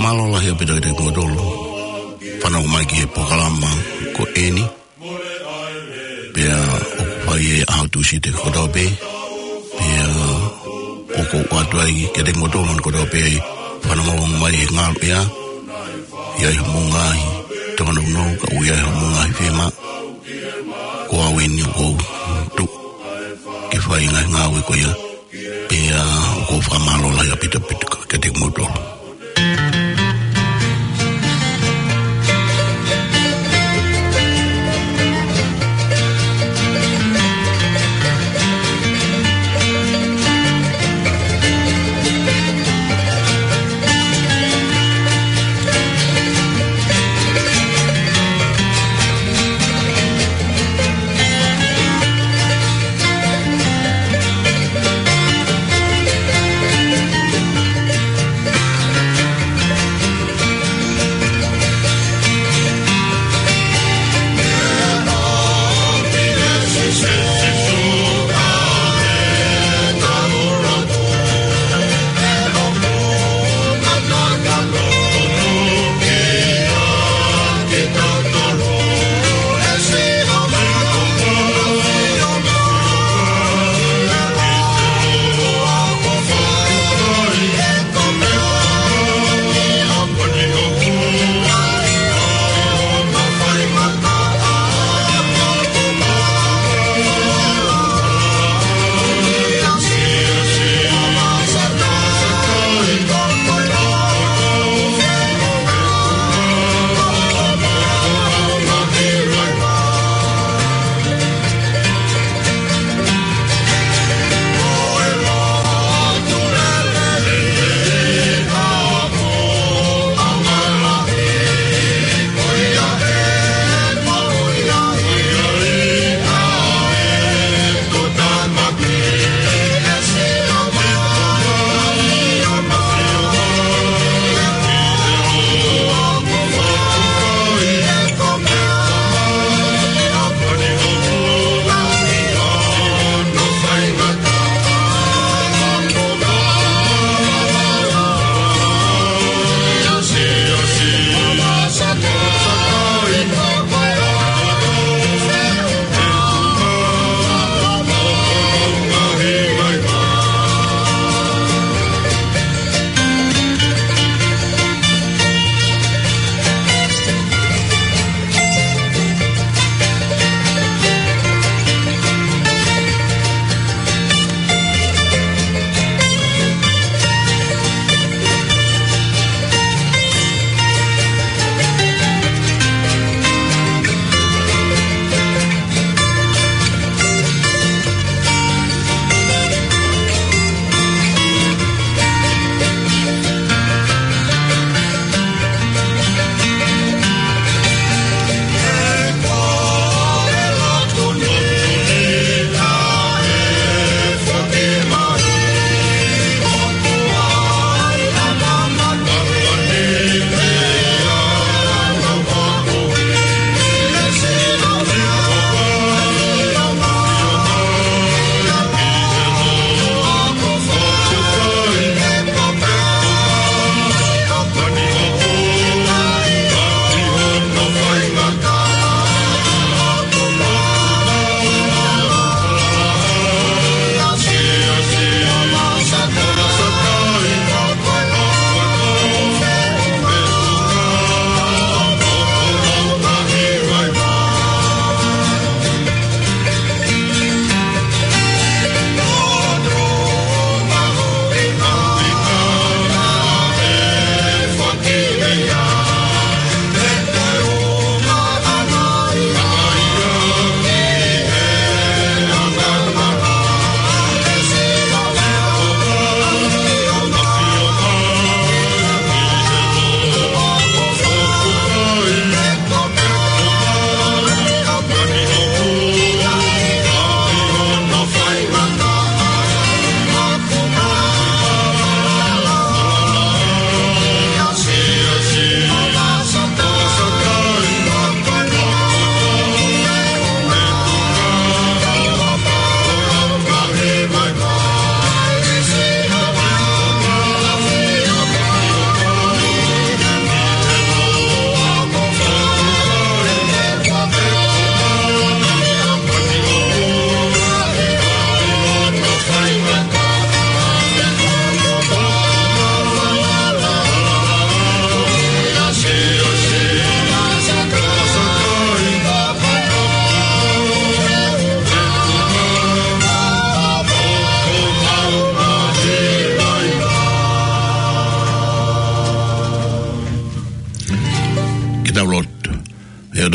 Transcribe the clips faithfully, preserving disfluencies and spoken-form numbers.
Mālō lahi ʻaupito kiate kimoutolu fanongo mai ki he polokalama ko eni. Pea ʻoku fai ʻi he ʻaho Tūsite kotoa pē. Pea ʻoku ou ʻoatu ai kiate kimoutolu kotoa pē fanongo mai he ngalu ia. ʻI ai hoʻomou ngaahi tōnounou, ka ʻoku ʻi ai hoʻomou ngaahi fiemaʻu, ko au eni ʻoku ou tuʻu ke fai ngaahi ngāue ko ia. Pea ʻoku ou fakamālō lahi ʻaupito ʻaupito kiate kimoutolu.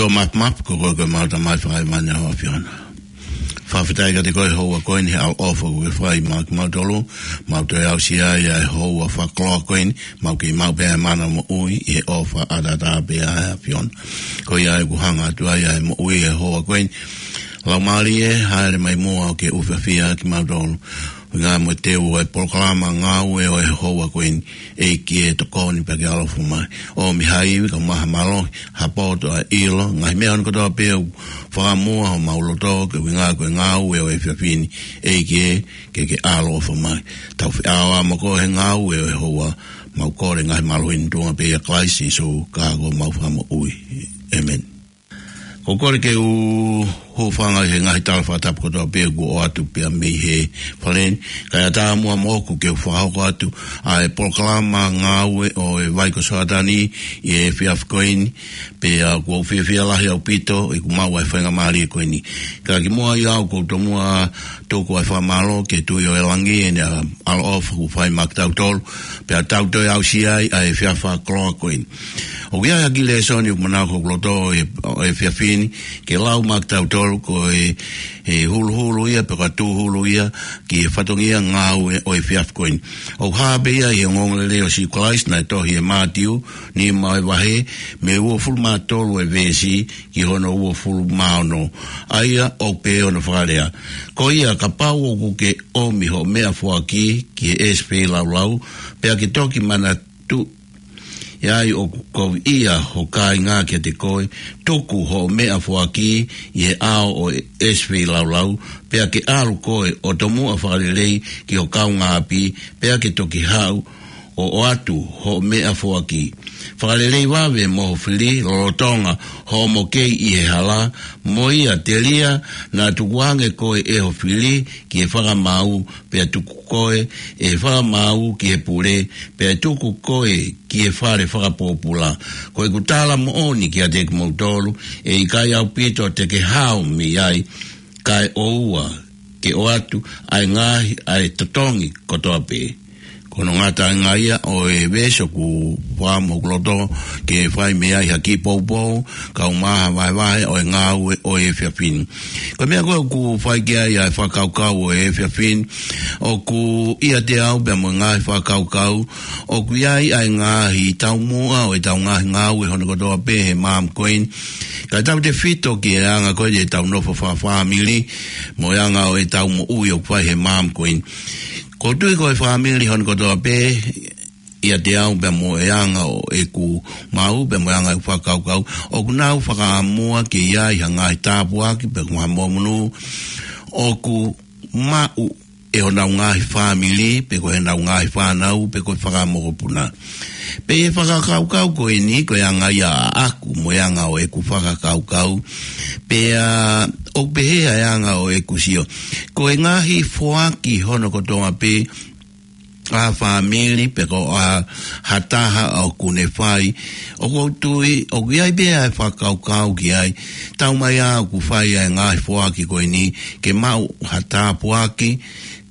Tō map map, ko koe ko e mau Tamai fakaemani ʻa ho ʻAfiona. Fakafetaʻi kiate koe he houa ko eni he ʻaloʻofa kuo ke fai maʻa kimautolu, mau toe aʻusia ai ʻa e houa fakakoloa ko eni, mau kei maʻu pē ʻa e mana moʻui ʻi he ʻofa ʻataʻatā pē ʻa e ʻAfiona. Ko ia ʻoku hanga atu ai ʻa e moʻui he houa ko eni. Laumālie, hāʻele mai muʻa ʻo ke ʻufiʻufi ʻa kimautolu. ʻUhinga mo e teu ʻo e polokalama ngāue ʻo e houa ko eni, ʻEiki ē, tokoni pea ke ʻaloʻofa mai. ʻOmi ha ivi kae ʻumaʻā ha mālohi, ha poto, ha ʻilo, ngaahi meʻa hono kotoa pē ʻoku fakamuʻa homau loto, koeʻuhinga ko e ngāue ʻo e efiafi ni, ʻEiki ē, ke ke ʻaloʻofa mai. Tau feʻao mo koe he ngāue ʻo e houa, mau kole ngaahi mālohi ni tuʻunga pē ʻia Kalaisi Sīsū, ko homau Fakamoʻui. ʻĒmeni. Ko e kole ke u hūfanga he ngaahi tala fakatapu kotoa pē kuo ʻoatu pea mei he fale ni. Kae ʻatā muʻa moʻoku ke u fakahoko atu ʻa e polokalama ngāue ʻo e vai ko Soatani ʻi he efiafi ko eni, pea ʻoku ou fiefia lahi ʻaupito ʻeku maʻu ʻa e faingamālie ko eni. Ka kimuʻa ia ʻoku ou tomuʻa tuku ʻa e fakamālō ki he Tuʻi ʻo e langi ʻene ʻaloʻofa kuo fai maʻa kitautolu, pea tau toe aʻusia ai ʻa e efiafi fakakoloa ko eni. ʻOku ʻi ai ha kiʻi lēsoni ʻoku manako ki loto ʻi he, ʻi he efiafi ni, ke lau maʻa kitautolu ko e, ʻe huluhulu ia, pe ko e tūhulu ia, ki he fatongia ngāue ʻo e efiafi ko eni. ʻOku hā pē ia ʻi he ongoongolelei ʻo Sīsū Kalaisi naʻe tohi ʻe Mātiu, nima ʻo e vahe, mei he uofulu mā tolu ʻo e veesi, ki hono uofulu mā ono. ʻA ia ʻoku pehē hono fakalea. Ko ia kapau ʻoku ke ʻomi hoʻo meʻafoaki ki he ʻesi feilaulau, pea ke toki manatu ʻi ai ʻoku koviʻia ho kāinga kiate koe, tuku hoʻo meʻafoaki ʻi he ʻao ʻo e ʻesi feilaulau, pea ke ʻalu koe ʻo tomuʻa fakalelei ki ho kaungāʻapi, pea ke toki haʻu ʻo ʻoatu hoʻo meʻafoaki. Fakalelei vave mo ho fili lolotonga hoʻomo kei ʻi he hala, mo ia telia naʻa tukuange koe ʻe ho fili ki he fakamaau, pea tuku koe ʻe he fakamaau ki he pule, pea tuku koe ki he fale fakapōpula. Ko ʻeku tala moʻoni kiate kimoutolu, ʻe ʻikai ʻaupito te ke hao mei ai, kae ʻoua ke ʻoatu ʻa e ngaahi, ʻa e totongi kotoa pē. Ko hono ngataʻanga ia ʻo e veesi ʻoku fakamoʻoni ki loto ke fai mei ai ha kiʻi poupou, kae ʻumaʻā ha vahevahe ʻo e ngāue ʻo e efiafi ni. Ko e meʻa ko ē ʻoku fai ki ai ʻa e fakakaukau ʻo e efiafi ni, ʻoku ʻiate au pea mo e ngaahi fakakaukau, ʻoku ʻi ai ʻa e ngaahi taumuʻa ʻo ʻetau ngaahi ngāue hono kotoa pē he maama ko eni. Kae tautefito ki he anga ko ē ʻetau nofo fakafāmili, mo e anga ʻo ʻetau moʻui ʻoku fai he maama ko eni. ʻOku ou tui ko e fāmili hono kotoa pē, ʻiate au pea mo e anga ʻo ʻeku maau, pea mo e anga ʻeku fakakaukau, ʻoku nau fakaʻamua ke ʻi ai ha ngaahi tāpuaki, pe ko ha monū ʻoku maʻu ʻe honau ngaahi fāmili, pe ko ʻenau ngaahi fānau, pe ko e fakamokopuna. Pea ʻi he fakakaukau ko eni, ko e anga ia ʻaʻaku, mo e anga ʻo ʻeku fakakaukau, pea ʻoku pehē ʻa e anga ʻo ʻeku sio. Ko e ngaahi foaki hono kotoa pē, ʻa e fāmili pe ko ha taha ʻoku ne fai. ʻOku ou tui, ʻoku ʻi ai pē ʻa e fakakaukau ki ai. Taumaiā ʻoku fai ʻa e ngaahi foaki ko eni, ke maʻu ha tāpuaki,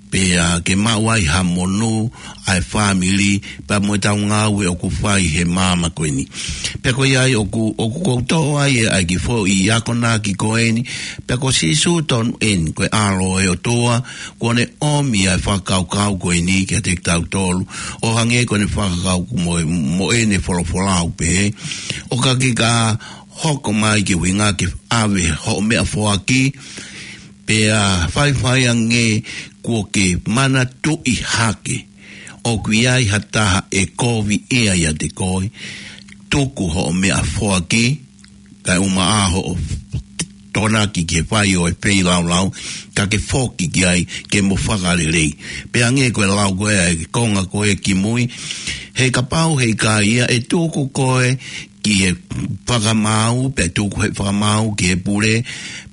pea ke maʻu ai ha monū ʻa e fāmili, pea mo ʻetau ngāue ʻoku fai he maama ko eni. Pea ko ia ai ʻoku, ʻoku ou toʻo ai ʻa e kiʻi foʻi akonaki ko eni, pea ko Sīsū tonu eni, ko e ʻAlo ʻo e ʻOtua, kuo ne ʻomi ʻa e fakakaukau ko eni kiate kitautolu, ʻo hangē ko ʻene fakakaukau mo, mo ʻene folofola ʻoku pehē, ʻo ka ke ka hoko mai ki he ʻuhinga ke ʻave hoʻo meʻafoaki, pea faifai ange kuo ke manatuʻi hake, ʻoku ʻi ai ha taha ʻe kovi ʻiate koe, tuku hoʻo meʻafoaki, kae ʻumaʻā hoʻo tokonaki ki he fai ʻo e feilaulau, ka ke foki ki ai ke mo fakalelei. Pea hangē ko e lau ko ē ʻa e konga ko ē kimui, he kapau he ʻikai ia ʻe tuku koe ki he fakamaau, pe tuku he fakamaau ki he pule,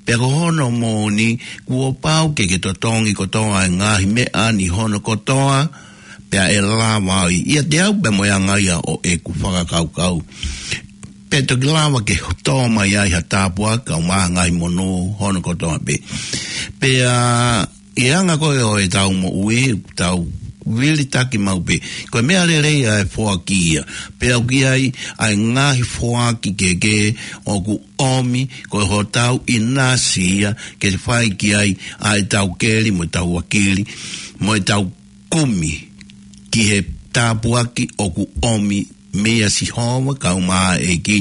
pea ko hono moʻoni, kuo pau ke ke totongi kotoa ʻa e ngaahi meʻa ni hono kotoa, pea ʻe lava ai. ʻIate au pea mo e anga ia ʻo ʻeku fakakaukau. Pea toki lava ke tō mai ai ha tāpuaki kae ʻumaʻā ha ngaahi monū hono kotoa pē. Pea ʻi he anga ko ē ʻo ʻetau moʻui, tau vilitaki maʻu pē. Ko e meʻa lelei ʻa e foaki ia. Pea ʻoku ʻi ai ʻa e ngaahi foaki kehekehe ʻoku ʻomi, ko hotau ʻinasi ia, ke fai ki ai ʻa ʻetau keli mo ʻetau vakili, mo ʻetau kumi ki he tāpuaki ʻoku ʻomi meia Sihova kae ʻumaʻā ʻa e ʻEiki.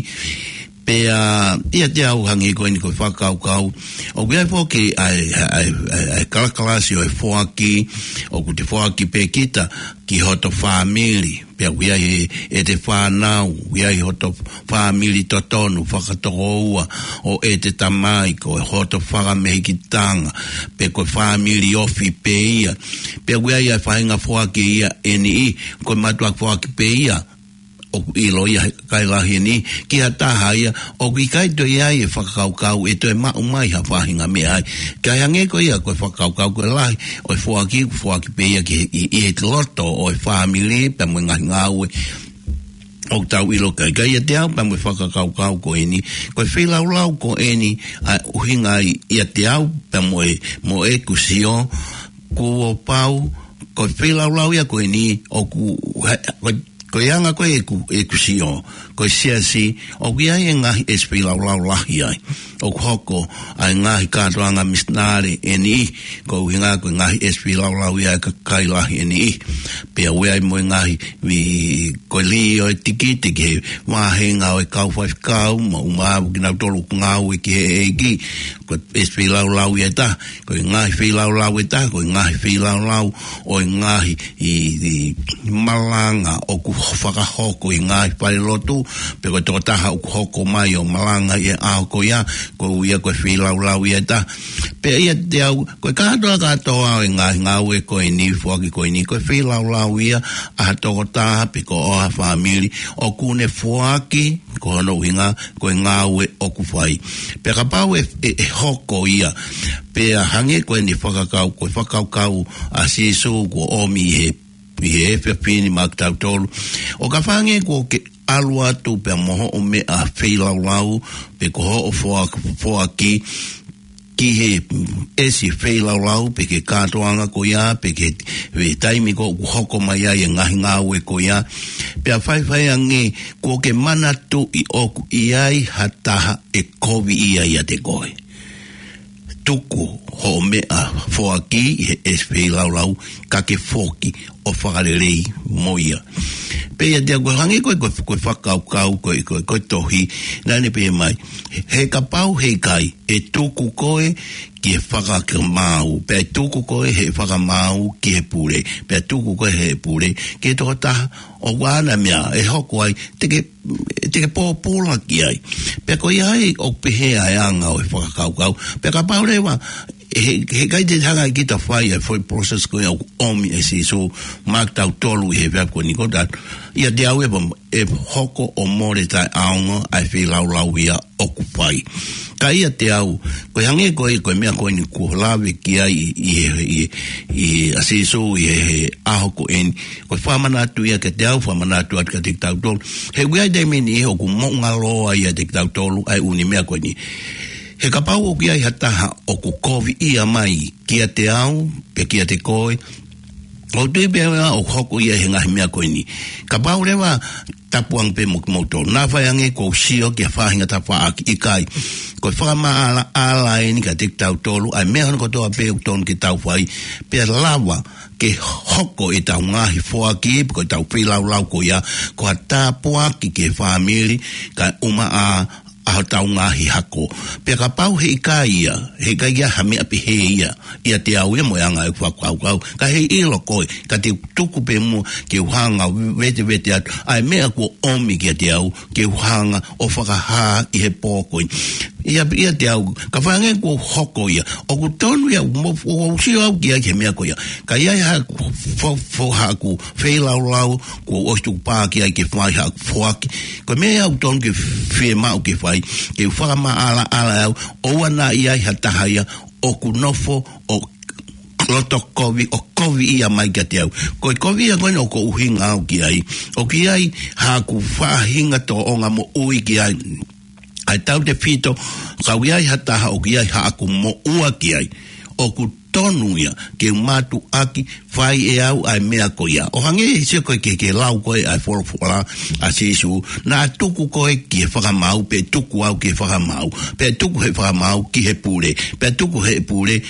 Pea ʻiate au hangē ko eni ko e fakakaukau, ʻoku ʻi ai foki ʻa e, ʻa e, ʻa e, ʻa e kalakalasi ʻo e foaki, ʻoku te foaki pē kita ki hoto fāmili, pea ʻoku ʻi ai ʻete fānau, ʻoku ʻi ai hoto fāmili totonu, fakatokoua, ʻo ʻete tamai, ko hoto fakamehikitanga, pe ko e fāmili ofi pē ia. Pea ʻoku ʻi ai ʻa e faʻahinga foaki ia ʻe niʻihi, ko e mātuʻaki foaki pē ia, ʻoku ʻilo ia he kakai lahi ʻe niʻihi, ki ha taha ia ʻoku ʻikai toe ʻi ai e fakakaukau ʻe toe maʻu mai ha faʻahinga meʻa ai. Kae hangē ko ia ko e fakakaukau ko e lahi ʻo e foaki, foaki pē ia ki he, ʻi, ʻi he loto ʻo e fāmili, pea mo e ngaahi ngāue ʻoku tau ʻilo. Kae, kae ʻiate au pea mo e fakakaukau ko eni, ko e feilaulau ko eni, ʻa e ʻuhinga ai ʻiate au pea mo e, mo ʻeku sio, kuo pau, ko e feilaulau ia ko eni, ʻoku, he, ko e, ko e anga ko ē ʻeku, ʻeku sio, ko e siasi, ʻoku ʻi ai e ngaahi ʻesi feilaulau lahi ai. ʻOku hoko ʻa e ngaahi kātoanga misinale ʻe niʻihi, ko e ʻuhinga ko e ngaahi ʻesi feilaulau ia ʻa e kakai lahi ʻe niʻihi. Pea ʻoku ʻi ai mo e ngaahi, vi, ko e lī ʻo e tikite ki he vāhenga ʻo e kau faifekau, mo ʻumaʻā kinautolu ʻoku ngāue ki he ʻEiki, ko e ʻesi feilaulau ia ʻe taha, ko e ngaahi feilaulau ʻe taha, ko e ngaahi feilaulau ʻo e ngaahi ʻi, ʻi malanga ʻoku fakahoko ʻi he ngaahi falelotu, pe ko e tokotaha ʻoku hoko mai ʻo malanga ʻi he ʻaho ko ia, ko ia ko e feilaulau ia ʻe taha. Pea ʻiate au, ko e kātoa kātoa ʻo e ngaahi ngāue ko eni, foaki ko eni, ko e feilaulau ia ʻa ha tokotaha pe ko ha fāmili, ʻoku ne foaki, ko hono ʻuhinga, ko e ngāue ʻoku fai. Pea kapau ʻe, ʻe, ʻe hoko ia, pea hangē ko eni fakakau, ko e fakakaukau ʻa Sīsū kuo ʻomi ʻi he, ʻi he efiafi ni maʻa kitautolu. ʻO kapau hangē kuo ke ʻalu atu pea mo hoʻo meʻa feilaulau, pe ko hoʻo foa-, foaki, ki he ʻesi feilaulau, pe ki he kātoanga ko ia, pe ki he, he taimi ko ē ʻoku hoko mai ai e ngaahi ngāue ko ia. Pea faifai ange, kuo ke manatuʻi ʻoku ʻi ai ha taha ʻe koviʻia ʻiate koe. Tuku hoʻo meʻa foaki ʻi he ʻesi feilaulau, ka ke foki ʻo fakalelei mo ia. Pea ʻiate au ko e hangē ko e, ko e, ko e fakakaukau, ko e, ko e, ko e tohi, naʻa ne pehē mai, he kapau he ʻikai, ʻe tuku koe ki he fakamaau, pea ʻe tuku koe he fakamaau ki he pule, pea ʻe tuku koe he pule ki he tokotaha, ʻoku ʻi ai ha meʻa ʻe hoko ai, te ke, te ke pōpula ki ai. Pea ko ia ai ʻoku pehē ʻa e anga ʻo e fakakaukau. Pea kapau leva, he, he ʻikai te hanga ʻe kita ʻo fai ʻa e foʻi process ko ia ʻoku ʻomi ʻe Sīsū maʻa kitautolu ʻi he efiafi ko eni, ko taha, ʻiate au ʻe pa-, ʻe hoko ʻo mole taʻeʻaonga ʻa e feilaulau ia ʻoku fai. Ka ʻiate au, ko e hangē ko e, ko e meʻa ko eni kuo lave ki ai ʻi, ʻi he, ʻi, ʻi ʻa Sīsū ʻi he, he ʻaho ko eni, ko e fakamanatu ia kiate au, fakamanatu atu kiate kitautolu. He ʻoku ʻi ai e taimi ʻe niʻihi ʻoku moʻungaloa ʻiate kitautolu ʻa e ʻū meʻa ko eni. He kapau ʻoku ʻi ai ha taha ʻoku koviʻia mai kiate au, pe kiate koe, ʻoku ou tui pē au ʻoku hoko ia he ngaahi meʻa ko eni. Kapau leva, tapu ange pē mo kimoutolu. Naʻa faʻa hangē kuo u sio ki ha faʻahinga tafaʻaki, ʻikai. Ko e fakamaʻalaʻala eni kiate kitautolu, ʻa e meʻa hono kotoa pē ʻoku totonu ke tau fai, pea lava ke hoko ʻetau ngaahi foaki, pe ko ʻetau feilaulau ko ia, ko ha tāpuaki ki he fāmili, kae ʻumaʻā ʻa hotau ngaahi hako. Pea kapau he ʻikai ia, he ʻikai ia ha meʻa pehē ia ʻiate au ia mo e anga ʻeku fakakaukau. Ka heiʻilo koe, ka te u tuku pē muʻa ke u hanga ʻo vetevete atu ʻa e meʻa kuo ʻomi kiate au, ke u hanga ʻo fakahā ʻi he pō ko ē. ʻIa, ʻiate au, kapau hangē kuo hoko ia, ʻoku tonu ia, mo, ʻoku ou sio au ki ai ki he meʻa ko ia. Ka ʻi ai haʻaku fo-, fo-, haʻaku feilaulau, kuo u ʻosi tukupā ki ai ke fai haʻaku foaki. Ko e meʻa ia ʻoku tonu ke fiemaʻu ke fai, ke u fakamaʻalaʻala au, ʻoua naʻa ʻi ai ha taha ia ʻoku nofo ʻo loto kovi, ʻo koviʻia mai kiate au. Ko e koviʻia ko eni ʻoku ou ʻuhinga au ki ai, ʻoku ʻi ai haʻaku faʻahinga tōʻonga moʻui ki ai. ʻA e tautefito, ka ʻoku ʻi ai ha taha ʻoku ʻi ai haʻaku moʻua ki ai, ʻoku tonu ia ke u mātuʻaki fai ʻe au ʻa e meʻa ko ia. ʻO hangē he sio ko ē ki he, ki he lau ko ē ʻa e folofola ʻa Sīsū, naʻa tuku koe ki he fakamaau, pea tuku au ki he fakamaau, pea tuku he fakamaau ki he pule, pea tuku he pule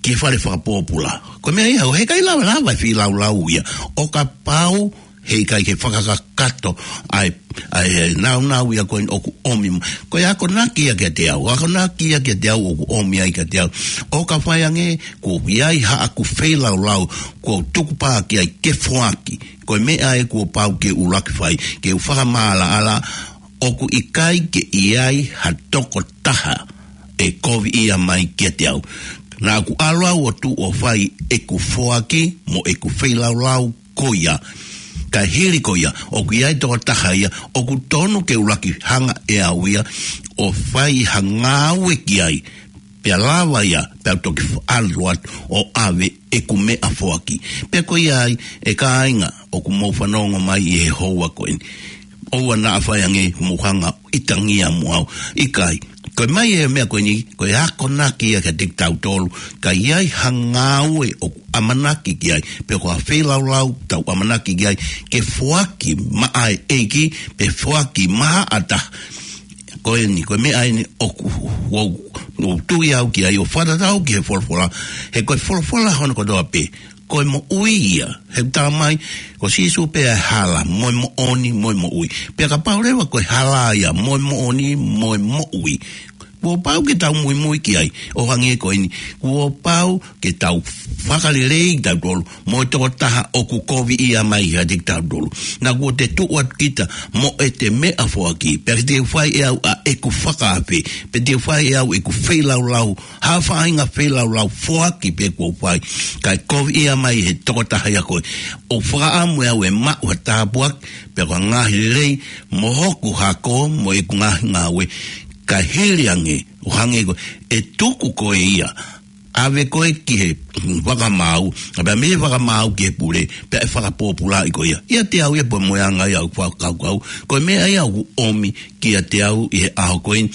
ki he fale fakapōpula. Ko e meʻa ia, ʻoku ʻikai lava lava e feilaulau ia. ʻO kapau heʻikai ke fakakakato ʻa e, ʻa e nāunau ia ko eni ʻoku ʻomi. Ko e akonaki ia kiate au, akonaki ia kiate au ʻoku ʻomi ai kiate au. ʻO ka fai ange, kuo ʻi ai haʻaku feilaulau, kuo u tukupā ki ai ke foaki. Ko e meʻa ē kuo pau ke u ʻuluaki fai, ke u fakamaʻalaʻala, ʻoku ʻikai ke ʻi ai ha tokotaha ʻe koviʻia mai kiate au. Naʻa ku ʻalu au ʻo tuʻu ʻo fai ʻeku foaki mo ʻeku feilaulau ko ia. Ka hili ko ia, ʻoku ʻi ai tokotaha ia, ʻoku tonu ke ʻuluaki hanga ʻe au ia ʻo fai ha ngāue ki ai. Pea lava ia, pea u toki ʻalu atu ʻo ʻave ʻeku meʻa foaki. Pea ko ia ai, ʻe kāinga, ʻoku mou fanongo mai ʻi he houa ko eni. ʻOua naʻa fai ange mou hanga ʻitangia mo au. ʻIkai, ko e mai e meʻa ko eni, ko e akonaki ia kiate kitautolu, ka ʻi ai ha ngāue ʻoku ʻamanaki ki ai, pe ko ha feilaulau tau ʻamanaki ki ai, ke foaki maʻa e ʻEiki, pe foaki maʻa ha taha. Ko eni, ko e meʻa eni ʻoku, ʻoku, ʻoku tui au ki ai ʻo fakatatau ki he folofola, he ko e folofola hono kotoa pē, ko e moʻui ia. He ʻoku tala mai, ko Sīsū pē ʻa e hala, mo e moʻoni, mo e moʻui. Pea kapau leva ko e hala ia, mo e moʻoni, mo e moʻui, kuo pau ke tau muimui ki ai, ʻo hangē ko eni, kuo pau ke tau fakalelei kitautolu mo e tokotaha ʻoku koviʻia mai kiate kitautolu. Naʻa kuo te tuʻu atu kita mo ʻete meʻa foaki, pea te u fai ʻe au ʻa ʻeku fakaafe, pea te u fai ʻe au ʻeku feilaulau, ha faʻahinga feilaulau foaki pē kuo u fai, kae koviʻia mai he tokotaha ia ko ē. ʻOku fakaʻamu ʻe au ʻe maʻu ha tāpuaki, pea ko e ngaahi lelei, mo hoku hako, mo ʻeku ngaahi ngāue, ka hili ange, ʻo hangē ko ē, ʻe tuku koe ia, ʻave koe ki he fakamaau, pea mei he fakamaau ki he pule, pea ʻe fakapōpulaʻi koe ia. ʻIate au ia pea mo e anga ia ʻoku fakakaukau, ko e meʻa ia ʻoku ʻomi kiate au ʻi he ʻaho ko eni,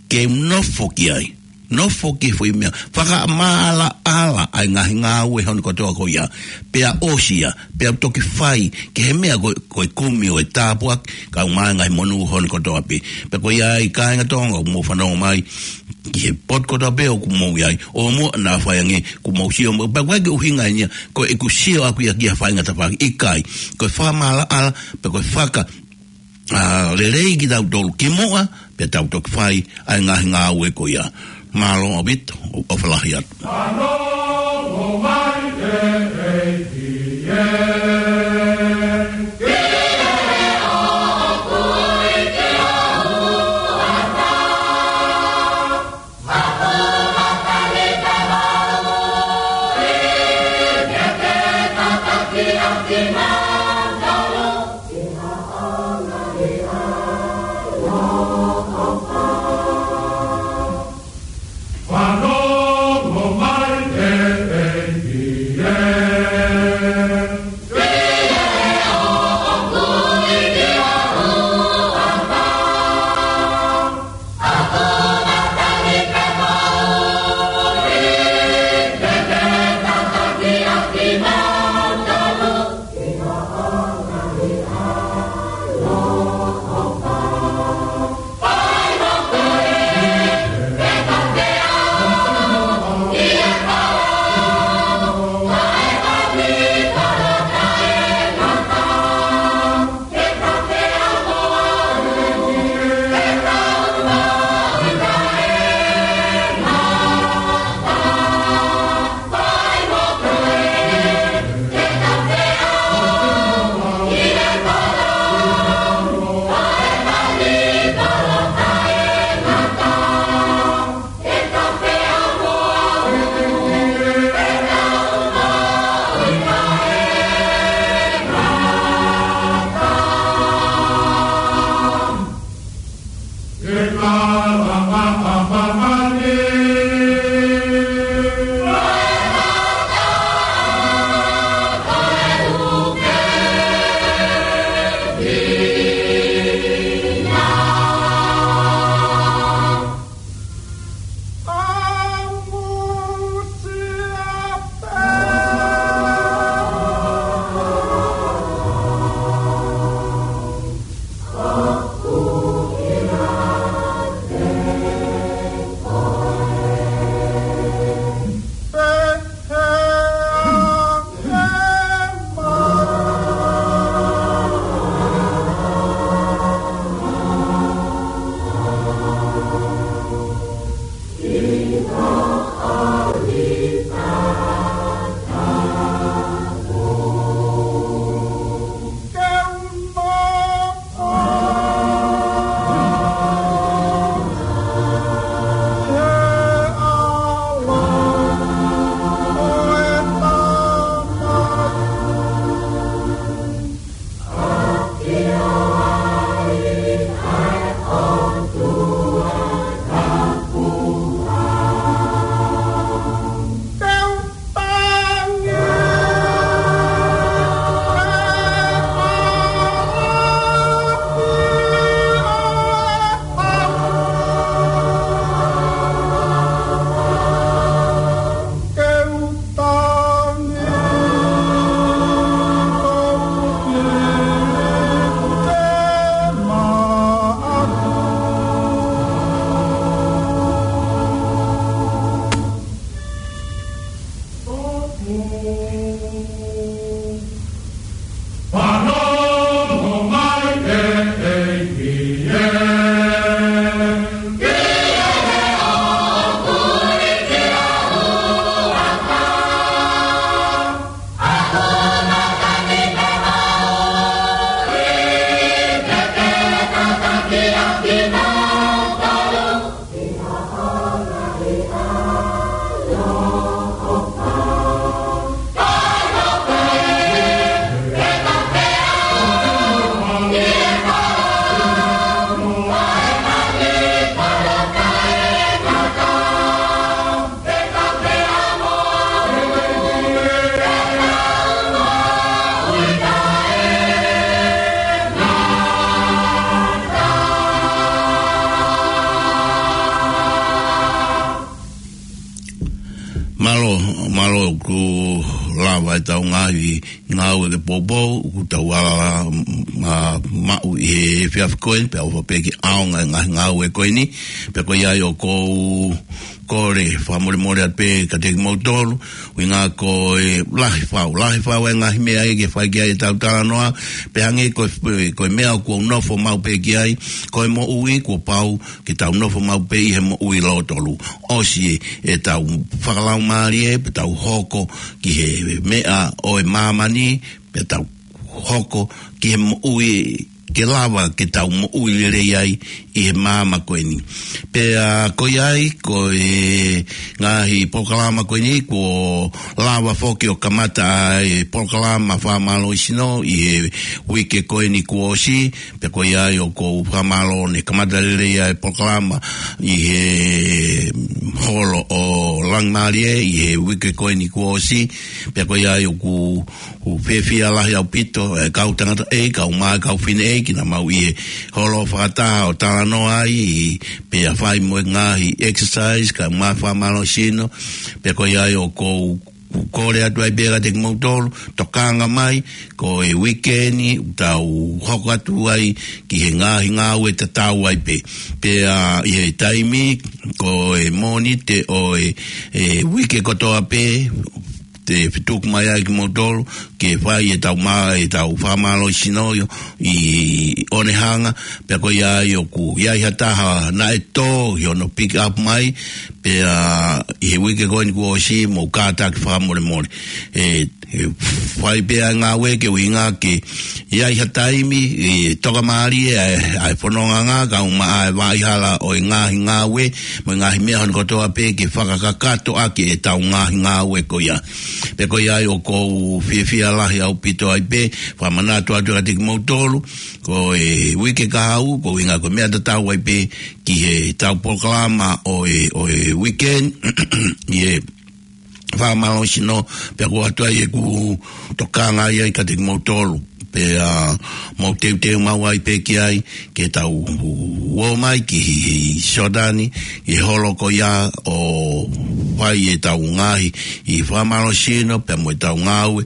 ke nofo ki ai. Nofo ki he foʻi meʻa, fakamaʻalaʻala ʻa e ngaahi ngāue hono kotoa ko ia. Pea ʻosi ia, pea u toki fai ki he meʻa ko, ko e kumi ʻo e tāpuaki, kae ʻumaʻā e ngaahi monū hono kotoa pē. Pea ko ia ai kāinga Tonga, ʻoku mou fanongo mai ki he potu kotoa pē ʻoku mou ʻi ai, ʻo mou naʻa fai ange, kuo mou sio mo, pea ʻoku ʻikai ke ʻuhinga eni ia, ko ʻeku sio ʻaku ia ki ha faʻahinga tafaʻaki, ʻikai. Ko e fakamaʻalaʻala, pea ko e faka, ʻa, lelei kitautolu kimuʻa, pea tau toki fai ʻa e ngaahi ngāue ko ia. Mālō ʻaupito, ʻofa lahi atu. ʻoku lava ʻetau ngaahi ngāue ke poupou, ʻoku tau ala, mm, maʻu ʻi he efiafi ko eni, pea ʻofa pē ke ʻaonga e ngaahi ngāue ko eni, pea ko ia ai ʻoku ou kole fakamolemole atu pē kiate kimoutolu, ʻuhinga ko e lahi fau, lahi fau e ngaahi meʻa ia ke fai ki ai ʻetau talanoa, pea hangē ko e, ko e meʻa ʻoku ou nofo maʻu pē ki ai, ko e moʻui kuo pau ke tau nofo maʻu pē ʻi he moʻui lōtolu. ʻOsi ʻetau fakalaumālie, pea tau hoko ki he meʻa ʻo e māmani, pea tau hoko ki he moʻui ke lava ke tau moʻui lelei ai ʻi he māmani ko eni. Pea ko ia ai, ko e ngaahi polokalama ko eni, kuo lava foki ʻo kamata ʻa e polokalama fakamālohisino ʻi he uike ko eni kuo ʻosi, pea ko ia ai ʻoku ou fakamālō ne kamata lelei ʻa e polokalama ʻi he holo ʻo Langimālie ʻi he uike ko eni kuo ʻosi, pea ko ia ai ʻoku ou fiefia lahi ʻaupito, e kau tangataʻeiki, kau mā, kau fineʻeiki, naʻa mau ʻi he holo fakataha ʻo talanoa ai, pea fai mo e ngaahi exercise, kau mā fakamālohisino, pea ko ia ai ʻoku ou kole atu ai pē kiate kimoutolu, tokanga mai, ko e uike ni, tau hoko atu ai ki he ngaahi ngāue tatau ai pē. Pea ʻi he taimi, ko e Mōnite ʻo e, e uike kotoa pē, te fetuku mai ai kimoutolu, ke fai ʻetau mā, ʻetau fakamālohisino ʻi, ʻi Onehunga, pea ko ia ai ʻoku ʻi ai ha taha naʻe tō ʻi hono pick up mai, pea ʻi he uike ko eni kuo ʻosi mou kātaki fakamolemole. E, e fai pē ʻa e ngāue ke ʻuhinga ke ʻi ai ha taimi, e tokamālie ʻa e, ʻa e fononga ngā, kau mā ʻa e vaʻa hala ʻo e ngaahi ngāue, mo e ngaahi meʻa hono kotoa pē ke fakakakato ʻaki ʻetau ngaahi ngāue ko ia. Pea ko ia ai ʻoku ou fiefia lahi ʻaupito ai pē, fakamanatu atu kiate kimoutolu, ko e uike kahaʻu, ko e ʻuhinga ko e meʻa tatau ai pē ki heʻetau polokalama ʻo e, ʻo e weekend, ʻi he fakamālohisino, pea ko e ʻoatu ai ʻeku tokanga ai kiate kimoutolu. Pea mou teuteu maʻu ai pē ki ai, ke tau ō mai ki Siotani, ʻi he holo ko ia ʻo fai ʻetau ngaahi, ʻi fakamālohisino, pea mo ʻetau ngāue,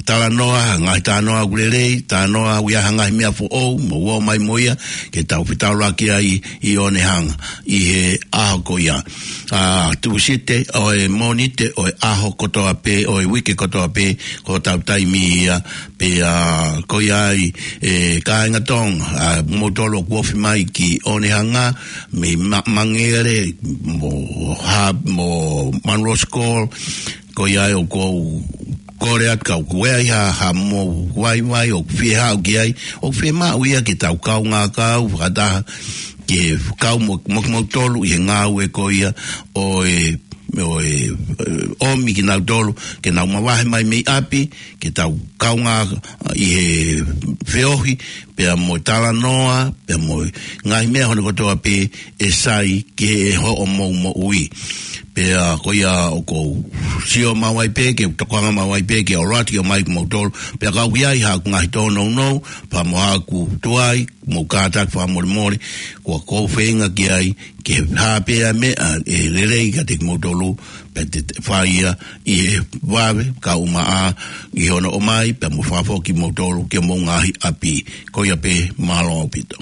talanoa, ngaahi talanoa ʻoku lelei, talanoa ʻoku ʻi ai ha ngaahi meʻa foʻou, mou ō mai mo ia, ke tau fetaulaki ai ʻi Onehunga, ʻi he ʻaho ko ia. ʻA, Tūsite, ʻo e Mōnite, ʻo e ʻaho kotoa pē, ʻo e uike kotoa pē, ko hotau taimi ia, pea ko ia ai, e, kāinga Tonga, ʻa, moutolu ʻoku ofi mai ki Onehunga, mei Ma-, Mangere, mo Ha-, mo Munro School, ko ia ai ʻoku ou kole atu kau ko e ʻi ai ha, ha mou vaivai ʻoku fie haʻu ki ai, ʻoku fiemaʻu ia ke tau kaungā kau fakataha ke kau mo, mo, moutolu ʻi he ngāue ko ia ʻo e, ʻo e, ʻomi kinautolu ke nau mavahe mai mei ʻapi, ke tau kaungā ʻi he feohi, pea mo talanoa, pea mo ngaahi meʻa hono kotoa pē ʻe sai ke hoʻomou moʻui. Pea ko ia ʻoku ou sio maʻu ai pē, ke tokanga maʻu ai pē, ke ʻalu atu ke ʻomai kimoutolu, pea ka ʻoku ʻi ai haʻaku ngaahi tōnounou, pea mo haʻaku tuai, mou kātaki fakamolemole, ko ʻeku feinga ki ai, ke hā pē ʻa e meʻa ʻe lelei kiate kimoutolu, pea te, te fai ia ʻi he vave, kau mā ʻa, ʻi hono ʻomai, pea mo fakafoki kimoutolu ki homou ngaahi ʻapi. Ko ia pē, mālō ʻaupito.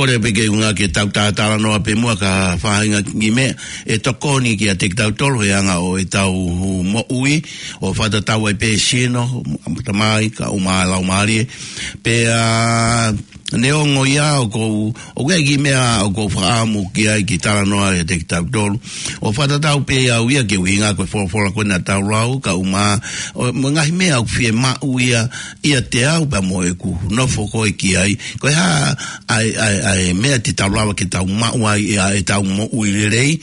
Kole pē ke u hanga ke tau talanoa pē muʻa ki ha faʻahinga kiʻi meʻa ʻe tokoni kiate kitautolu he anga ʻo ʻetau moʻui, ʻo fakatatau ai pē sino, tamai, kae ʻumaʻā e laumālie. Pea neongo ia ʻoku ou, ʻoku ʻi ai e kiʻi meʻa ʻoku ou fakaʻamu ki ai ke talanoa kiate kitautolu. ʻO fakatatau pē au ia ki he ʻuhinga ko e folofola ko ē naʻa tau lau, kae ʻumaʻā ʻo, mo e ngaahi meʻa ʻoku fiemaʻu ia ʻiate au pea mo ʻeku nofo ko ē ki ai. Ko e hā ʻa e, ʻa e, ʻa e meʻa te tau lava ke tau maʻu ai ʻa ʻetau moʻui lelei.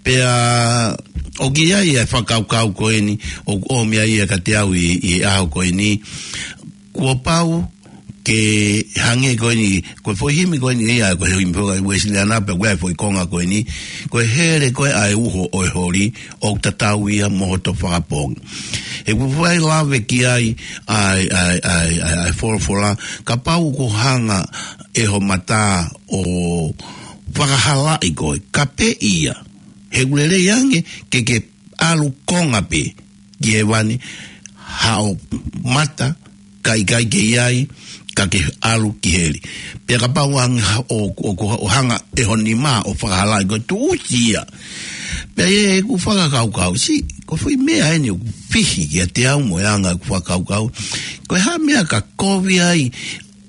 Pea ʻoku ʻi ai e fakakaukau ko eni, ʻoku ʻomi ai ia kiate au ʻi, ʻi he ʻaho ko eni. Kuo pau ke hangē ko eni, ko e foʻi himi ko eni ia, ko e himi foʻi Uēsiliana pea ko e foʻi konga ko eni, ko e hele ko ē ʻa e uho ʻo e holi, ʻoku tatau ia mo hoto fakapoongi. He ʻoku fai lave ki ai ʻa e, ʻa e, ʻa e, ʻa e, ʻa e folofola, kapau ʻoku hanga ʻe ho mata ʻo fakahalaʻi koe, kapeʻi ia. He ʻoku lelei ange ke ke ʻalu konga pē ki hēvani, haʻo mata ka ʻikai ke ʻi ai, ka ke ʻalu ki heli. Pea kapau ange ha-, ʻo, ʻo, ʻo, ʻo hanga ʻe ho nima ʻo fakahalaʻi koe, tuʻusi ia. Pea ʻi heʻeku fakakaukau, siʻi, ko e foʻi meʻa eni ʻoku fihi kiate au mo e anga ʻeku fakakaukau. Ko e hā e meʻa ka kovi ai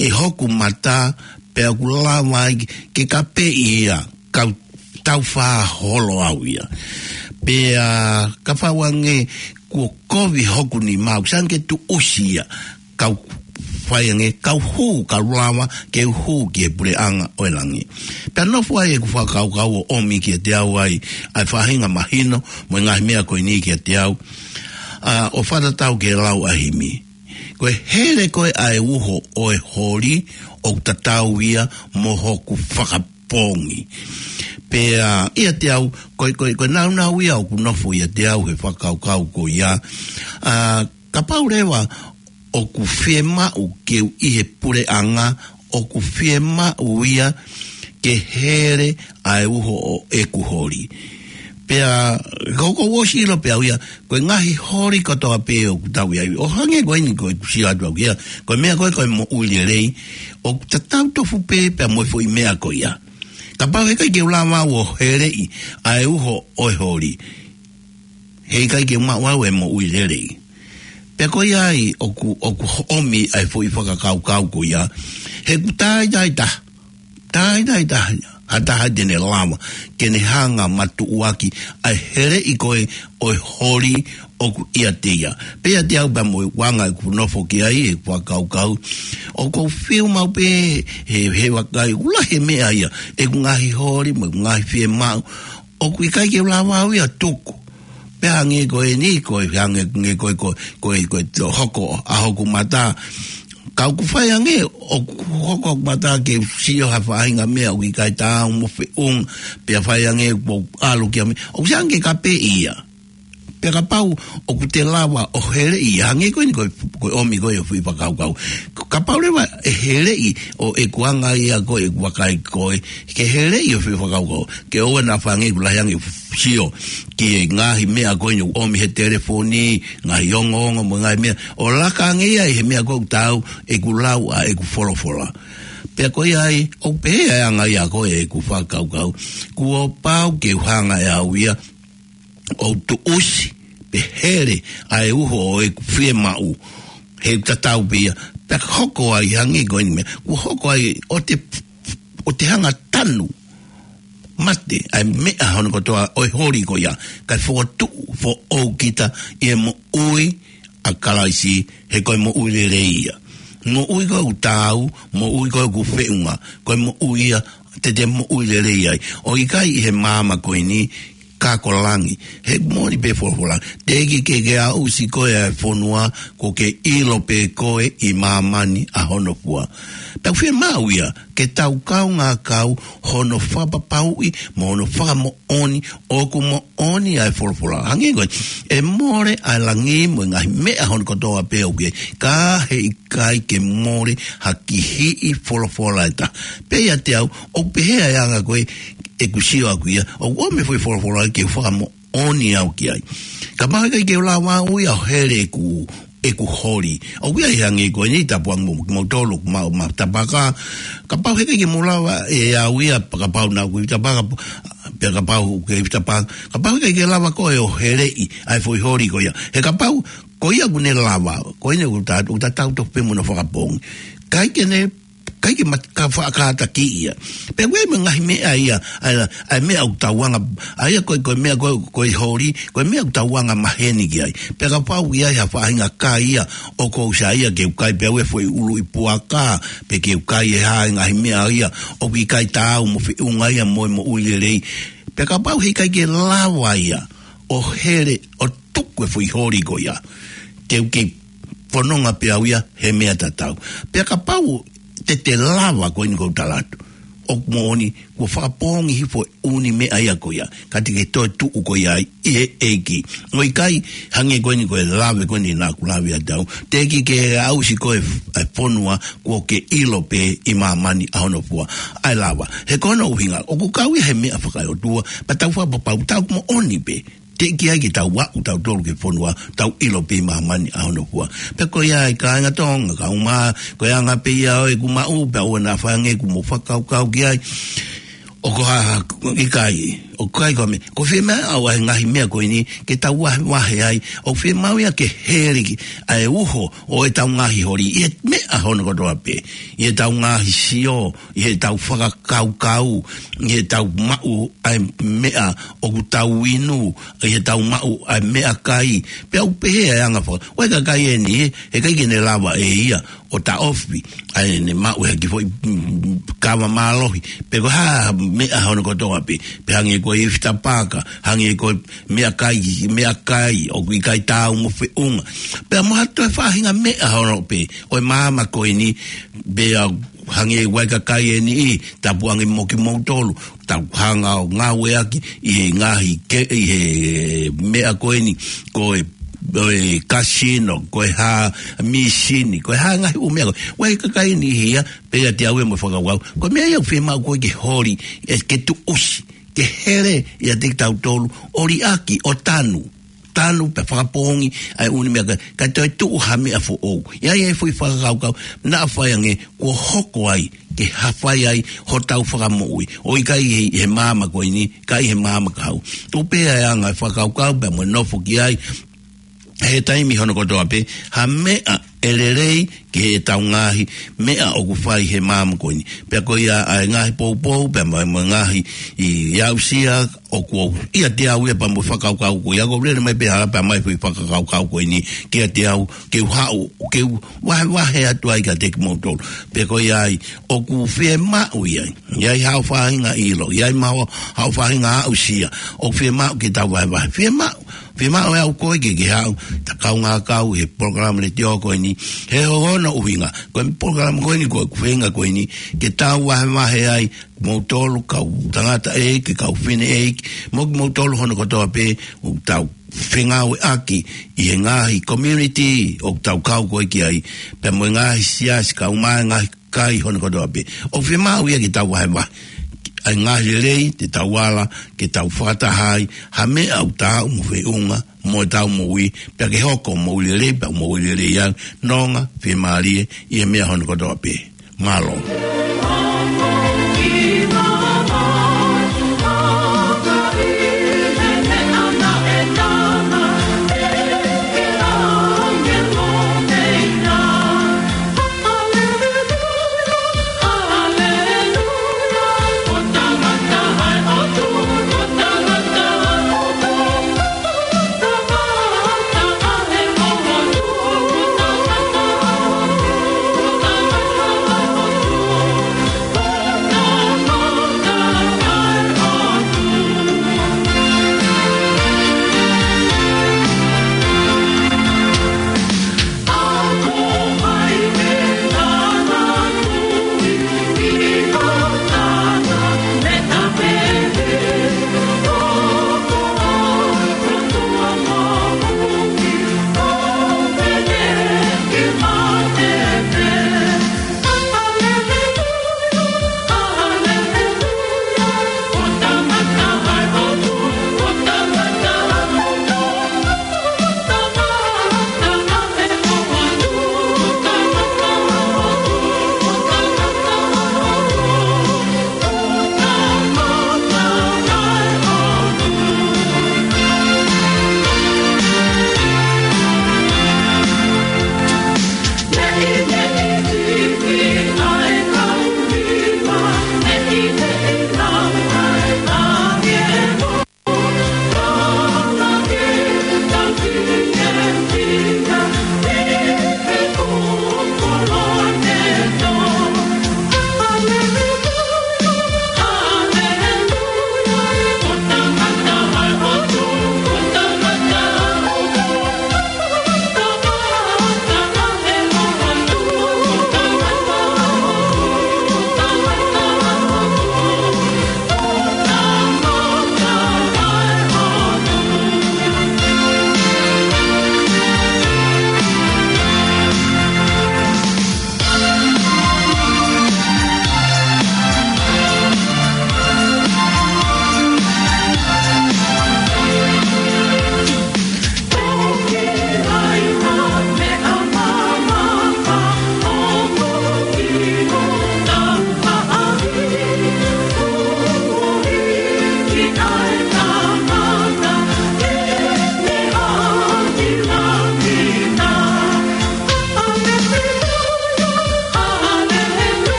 ʻe hoku mata, pea ʻoku lava ai ke kapeʻi ia, kau tau fā holo au ia. Pea kapau ange kuo kovi hoku nima, ʻoku sai ange ke tuʻusi ia, kau fai ange, kau hū, kau lava ke hū ki he puleʻanga ʻo e langi. Pea nofo ai ʻeku fakakaukau ʻo ʻomi kiate au ai ʻa e faʻahinga mahino mo e ngaahi meʻa ko eni kiate au, ʻa, ʻo fakatatau ki he lau ʻa e himi. Ko e hele ko ē ʻa e uho ʻo e holi, ʻoku tatau ia mo hoku fakapoongi. Pea ʻiate au, ko e, ko e, ko e nāunau ia ʻoku nofo ʻiate au he fakakaukau ko ia. ʻA, kapau leva ʻoku fiemaʻu ke u ʻi he puleʻanga, ʻoku fiemaʻu ia ke hele ʻa e uho ʻo ʻeku holi. Pea, ko, ʻoku ou ʻosi ʻilo pē au ia, ko e ngaahi holi kotoa pē ʻoku tau ʻi ai. ʻO hangē ko eni ko ʻeku sio atu au ia, ko e meʻa ko ē ko e moʻui lelei, ʻoku tatau tofu pē pea mo e foʻi meʻa ko ia. Kapau heʻikai ke u lava au ʻo heleʻi ʻa e uho ʻo e holi, heʻikai ke u maʻu au e moʻui lelei. Pea ko ia ai ʻoku, ʻoku ʻomi ai e foʻi fakakaukau ko ia. He ʻoku tāitaitaha, tāitaitaha ha taha te ne lava ke ne hanga ʻo matuʻuaki ʻa e heleʻi ko ē ʻo e holi ʻoku ʻiate ia. Pea ʻiate au pea mo e anga ʻeku nofo ki ai, ʻeku fakakaukau, ʻoku ou fiu maʻu pē he, he vakai, ʻoku lahi e meʻa ia, ʻeku ngaahi holi mo ʻeku ngaahi fiemaʻu, ʻoku ʻikai ke u lava au ia ʻo tuku. Pea hangē ko eni, ko e hangē ko e, ko e, ko e, ko e, ko e tō hoko ʻa hoku mata. Ka ʻoku fai ange ʻoku hoko hoku mata ke u sio ha faʻahinga meʻa ʻoku ʻikai taau mo feʻunga, pea fai ange ʻoku ou ʻalu ki ha meʻa, ʻoku sai ange ke kapeʻi ia. Pea kapau ʻoku te lava ʻo heleʻi ia, hangē ko eni ko e, ko e ʻomi ko ē ʻo e foʻi fakakaukau. Kapau leva ʻe heleʻi ʻo ʻeku anga ia ko ē ʻeku vakai ko ē, ke heleʻi ʻo e foʻi fakakaukau. Ke ʻoua naʻa fai ange ʻeku lahi ange ʻeku sio ki he ngaahi meʻa ko eni ʻoku ʻomi he telefoni, ngaahi ongoongo mo e ngaahi meʻa, ʻo laka ange ia ʻi he meʻa ko ē ʻoku taau ʻeku lau ʻa ʻeku folofola. Pea ko ia ai, ʻoku pehē ʻa e anga ia ko ē ʻeku fakakaukau. Kuo pau ke u hanga ʻe au ia ʻo tuʻusi pe hele ʻa e uho ʻo ʻeku fiemaʻu, he ʻoku tatau pē ia. Pea hoko ai hangē ko eni meʻa, kuo hoko ai ʻo te, ʻo te hanga ʻo tanu mate ʻa e meʻa hono kotoa ʻo e holi ko ia, kae fokotuʻu foʻou kita ʻi he moʻui ʻa Kalaisi, he ko e moʻui lelei ia. Moʻui ko ē ʻoku taau, moʻui ko ē ʻoku feʻunga, ko e moʻui ia te te moʻui lelei ai. ʻOku ʻikai ʻi he māmani ko eni, ka ko langi. He moʻoni pē folofola. Teʻeki ke ke aʻusi koe ʻe he fonua, kuo ke ʻilo pē koe ʻi māmani ʻa hono fua. Tau fiemaʻu ia ke tau kaungā kau hono fakapapauʻi mo hono fakamoʻoni ʻoku moʻoni ʻa e folofola. Hangē ko ē, ʻe mole ʻa e langi mo e ngaahi meʻa hono kotoa pē ʻoku ʻi ai, ka heʻikai ke mole ha kihiʻi folofola ʻe taha. Pea ʻiate au, ʻoku pehē ʻa e anga ko ē ʻeku sio ʻaʻaku ia, ʻoku ʻomi e foʻi folofola ke fakamoʻoni au ki ai. Kapau heʻikai ke u lava au ia ʻo hele ʻeku, ʻeku holi. ʻOku ʻi ai hangē ko eni tapuange mo, mo tolu, ma, ma tapaka, kapau heʻikai ke mou lava ʻe au ia, kapau naʻa ku ʻi tapaka, pea kapau ke ʻi tapaka, kapau heʻikai ke lava koe ʻo heleʻi ʻa e foʻi holi ko ia. He kapau, ko ia ʻoku ne lava, ko eni ʻoku ta, ʻoku tatau tofu pē mo hono fakapoongi. ʻIkai ke ne ʻikai ke ma, ka faʻa kātaki ia. Pea ʻoku ʻi ai mo e ngaahi meʻa ia, ʻa e, ʻa e meʻa ʻoku tau anga, ʻa ia ko e, ko e meʻa ko e, ko e holi, ko e meʻa ʻoku tau anga maheni ki ai. Pea kapau ʻoku ʻi ai ha faʻahinga kai ia, ʻoku ou saiʻia ke u kai pē au e foʻi ʻuluʻi puaka, pe ke u kai e hā e ngaahi meʻa ia, ʻoku ʻikai taau mo feʻunga ia mo e moʻui lelei. Pea kapau heʻikai ke lava ia, ʻo hele, ʻo tuku e foʻi holi ko ia. Te u kei fononga pē au ia he meʻa tatau. Pea kapau te te lava ko eni ʻoku ou tala atu. ʻOku moʻoni, kuo fakapoongi hifo e ʻū meʻa ia ko ia. Ka te ke toe tuʻu koe ai ʻi he ʻEiki. ʻOku ʻikai hangē ko eni ko e lave ko eni naʻa ku lave atu au. Teʻeki ke aʻusi koe e fonua kuo ke ʻilo pē ʻi māmani ʻa hono fua. ʻA e lava. He ko hono ʻuhinga, ʻoku kau ia he meʻa fakaeʻotua, pea tau fakapapau, tau moʻoni pē. Teʻeki ai ke tau aʻu tautolu ki he fonua, tau ʻilo pē ʻi māmani ʻa hono fua. Pea ko ia e kāinga Tonga, kau mā, ko e anga pē ia ʻo ʻeku maʻu, pea ʻoua naʻa fai ange ʻeku mo fakakaukau ki ai. ʻOku hā, ʻikai, ʻoku ʻikai ko e meʻa, ʻoku fiemaʻu ʻa e ngaahi meʻa ko eni, ke tau vahevahe ai, ʻoku fiemaʻu ia ke heleʻi, ʻa e uho, ʻo ʻetau ngaahi holi, ʻi he meʻa hono kotoa pē, ʻi heʻetau ngaahi sio, ʻi heʻetau fakakaukau, ʻi heʻetau maʻu ʻa e meʻa ʻoku tau inu, ʻi heʻetau maʻu ʻa e meʻakai, pea ʻoku pehē ʻa e anga faka-, ʻoku ʻikai ke kai eni, heʻikai ke ne lava ʻe ia, ʻo taʻofi, ʻa ʻene maʻu he kiʻi foʻi, mm, kava mālohi, pe ko e hā meʻa hono kotoa pē, pe hangē ko e ifi tapaka, hangē ko e meʻakai, meʻakai, ʻoku ʻikai taau mo feʻunga. Pea mo ha toe faʻahinga meʻa hono pē, ʻo e maama ko eni, pea hangē ʻoku ʻikai ke kai eni ʻi, tapu ange mo kimoutolu, tau hanga ʻo ngāueʻaki ʻi he ngaahi ke, ʻi he meʻa ko eni, ko e, ko e kasino, ko e hā mīsini, ko e hā ngaahi ʻū meʻa ko ē. ʻOku ʻikai ke kai eni ia, pea ʻiate au ia mo e fakakaukau. Ko e meʻa ia ʻoku fiemaʻu ko ē ke holi, ʻe ke tuʻusi, ke hele ʻiate kitautolu, ʻo liʻaki, ʻo tanu. Tanu pea fakapoongi ʻa e ʻū meʻa ka, ka toe tuʻu ha meʻa foʻou. ʻI ai e foʻi fakakaukau, naʻa fai ange, kuo hoko ai, ke hafai ai, hotau fakamoʻui. ʻOku ʻikai he, he maama ko eni, ka ʻi he maama ka hau. Tuʻu pē ʻa e anga e fakakaukau, pea mo e nofo ki ai, he taimi hono kotoa pē, ha meʻa ʻe lelei ki heʻetau ngaahi meʻa ʻoku fai he maama ko eni. Pea ko ia ʻa e ngaahi poupou, pea mo e, mo e ngaahi ʻi aʻusia, ʻoku ou ʻiate au ia pea mo e fakakaukau ko ia, ʻoku ou lele mai pē hala pea mai foʻi fakakaukau ko eni, kiate au, ke u haʻu, ke u vahevahe atu ai kiate kimoutolu. Pea ko ia ai, ʻoku fiemaʻu ia, ʻi ai haʻo faʻahinga ʻilo, ʻi ai mo haʻo faʻahinga aʻusia, ʻoku fiemaʻu ke tau vahevahe, fiemaʻu, fiemaʻu ʻe au koe ke ke haʻu, ta kaungā kau he polokalama letiō ko eni, he ko hono ʻuhinga, ko e polokalama ko eni ko e ʻuhinga ko eni, ke tau vahevahe ai, moutolu kau tangata ʻeiki, kau fefine ʻeiki, mo kimoutolu hono kotoa pē, ʻoku tau fengāueʻaki ʻi he ngaahi community, ʻoku tau kau ko ē ki ai, pea mo e ngaahi siasi, kau mai ngaahi kai hono kotoa pē. ʻOku fiemaʻu ia ke tau vahevahe. ʻA e ngaahi lelei, te tau ala, ke tau fakataha ai, ha meʻa ʻoku taau mo feʻunga, mo ʻetau moʻui, pea ke hoko moʻui lelei, pea moʻui lelei au, nonga, fiemālie, ʻi he meʻa hono kotoa pē. Mālō.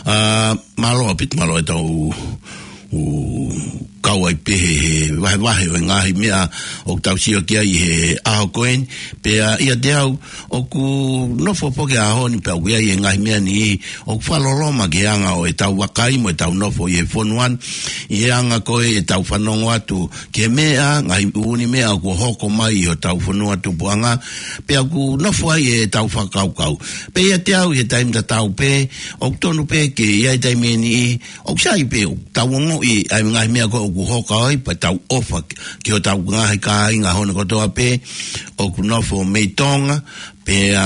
ʻA, mālō ʻaupito, mālō ʻetau ʻū kau ai pē he, he vahevahe ʻo e ngaahi meʻa ʻoku tau sio ki ai he ʻaho ko eni. Pea ʻiate au, ʻoku nofo foki he ʻaho ni pea ʻoku ʻi ai e ngaahi meʻa ni ʻoku fakaloloma ki he anga ʻo ʻetau vakai mo ʻetau nofo ʻi he fonua ni. ʻI he anga ko ē ʻetau fanongo atu ki he meʻa, ngaahi ʻū ni meʻa ʻoku hoko mai ʻi hotau fonua tupuʻanga, pea ʻoku nofo ai ʻetau fakakaukau. Pea ʻiate au ʻi he taimi tatau pē, ʻoku tonu pē ke ʻi ai taimi ʻe niʻihi, ʻoku sai pē ʻoku tau ongoʻi ʻa e ngaahi meʻa ko ē ʻoku hoko ai, pea tau ʻofa ki, ki hotau ngaahi kāinga hono kotoa pē ʻoku nofo mei Tonga, pea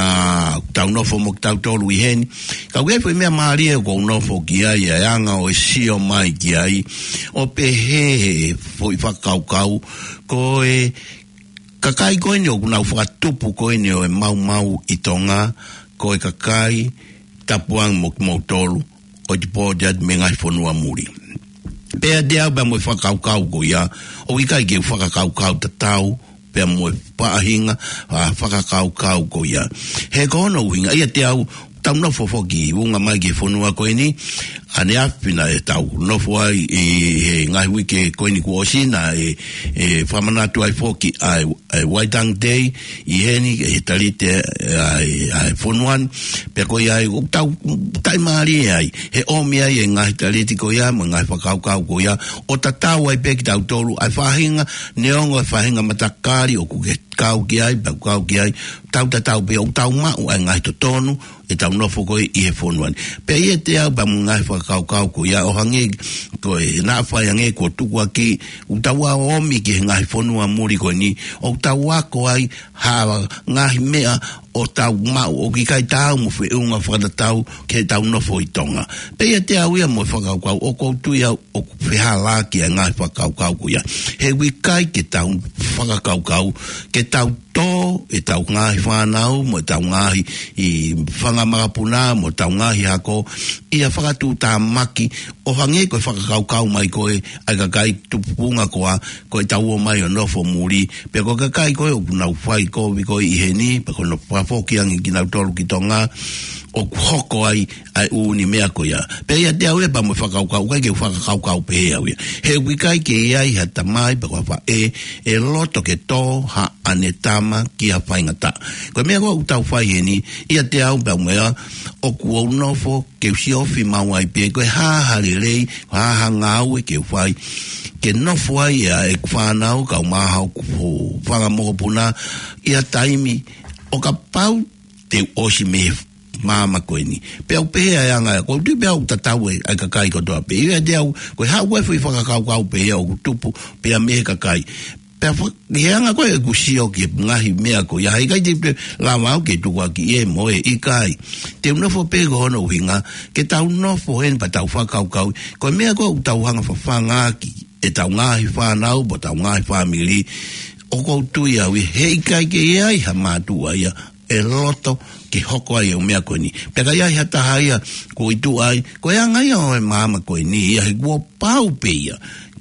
tau nofo mo kitautolu ʻi heni. Ka ʻoku ʻi ai e foʻi meʻa mālie ʻoku ou nofo ki ai, ʻa e anga ʻo e sio mai ki ai, ʻo pehē he foʻi fakakaukau, ko e kakai ko eni ʻoku nau fakatupu ko eni ʻo e maumau ʻi Tonga, ko e kakai tapuangi mo kimoutolu ʻoku ʻi pō atu mei he ngaahi fonua muli. Pea ʻiate au pea mo e fakakaukau ko ia, ʻoku ʻikai ke u fakakaukau tatau pea mo e faʻahinga, ʻa, fakakaukau ko ia. He ko hono ʻuhinga, ʻiate au, tau nofo foki ʻi ʻunga mai ki he fonua ko eni, ʻaneafi naʻa tau nofo ai ʻi he ngaahi uike ko eni kuo ʻosi naʻe, ʻe fakamanatu ai foki ʻa e, ʻa e Waitangi Day ʻi heni, ʻe he talite ʻa e, ʻa e fonua ni, pea ko ia ai ʻoku tau taʻimālie ai, he ʻomi ai e ngaahi talite ko ia, mo e ngaahi fakakaukau ko ia, ʻo tatau ai pē kitautolu, ʻa e faʻahinga, neongo e faʻahinga matakali ʻoku ke kau ki ai, pea kau ki ai, tau tatau pē ʻoku tau maʻu ʻa e ngaahi totonu, ʻetau nofo ko ē ʻi he fonua ni. Pea ʻiate au pea mo e ngaahi fakakaukau ko ia ʻo hangē ko e naʻa fai hangē kuo tukuakiʻi, ʻoku tau ō ʻo ōmi ki he ngaahi fonua muli ko eni, ʻoku tau ako ai ha ngaahi meʻa ʻoku tau maʻu ʻoku ʻikai taau mo feʻunga fakatatau ki heʻetau nofo ʻi Tonga. Pea ʻiate au ia mo e fakakaukau ʻoku ou tui au ʻoku fehālaaki ʻa e ngaahi fakakaukau ko ia. He ʻoku ʻikai ke tau fakakaukau, ke tau tō ʻetau ngaahi fānau, mo ʻetau ngaahi ʻi fanga makapuna, mo ʻetau ngaahi hako, ʻi ha fakatuʻutāmaki, ʻo hangē ko e fakakaukau mai ko ē ʻa e kakai tupuʻanga ko ā, ko ʻetau ō mai ʻo nofo muli, pea ko e kakai ko ē ʻoku nau fai kovi ko ē ʻi heni, pea ko hono fakafoki ange kinautolu ki Tonga, ʻoku hoko ai ʻa e ʻū ni meʻa ko ia. Pea ʻiate au ia pea mo e fakakaukau, ʻikai ke u fakakaukau pehē au ia. He ʻoku ʻikai ke ʻi ai ha tamai, pe ko ha faʻē, ʻe loto ke tō haʻane tama ki ha faingataʻa. Ko e meʻa ko ē ʻoku tau fai heni, ʻiate au pea mo ia, ʻoku ou nofo ke u siofi maʻu ai pē, ko e hā ha lelei, hā ha ngāue ke u fai, ke nofo ai ʻa ʻeku fānau, kau maha ʻoku fanga mokopuna, ʻi ha taimi, ʻo kapau te u ʻosi mei he māmani ko eni. Pea ʻoku pehē ʻa e anga, ʻoku ou tui pē au ʻoku tatau ʻa e kakai kotoa pē. ʻIo ʻiate au, ko e haʻu ko ē foʻi fakakaukau pē ia ʻoku tupu, pea mei he kakai. Pea fa-, ʻi he anga ko ē ʻeku sio ki he ngaahi meʻa ko ia, he ʻikai te u lava au ke tukuakiʻi ʻe mo e ʻikai. Te u nofo pē ko hono ʻuhinga, ke tau nofo heni pea tau fakakaukau, ko e meʻa ko ē ʻoku tau hanga fafangaʻaki ʻetau ngaahi fānau, mo ʻetau ngaahi fāmili, ʻoku ou tui au ia, he ʻikai ke ʻi ai ha mātuʻa ia, ʻe loto ke hoko ai e ʻū meʻa ko eni. Pea ka ʻi ai ha taha ia, ko e tuʻu ai, ko e anga ia ʻo e māmani ko eni, ia he kuo pau pē ia,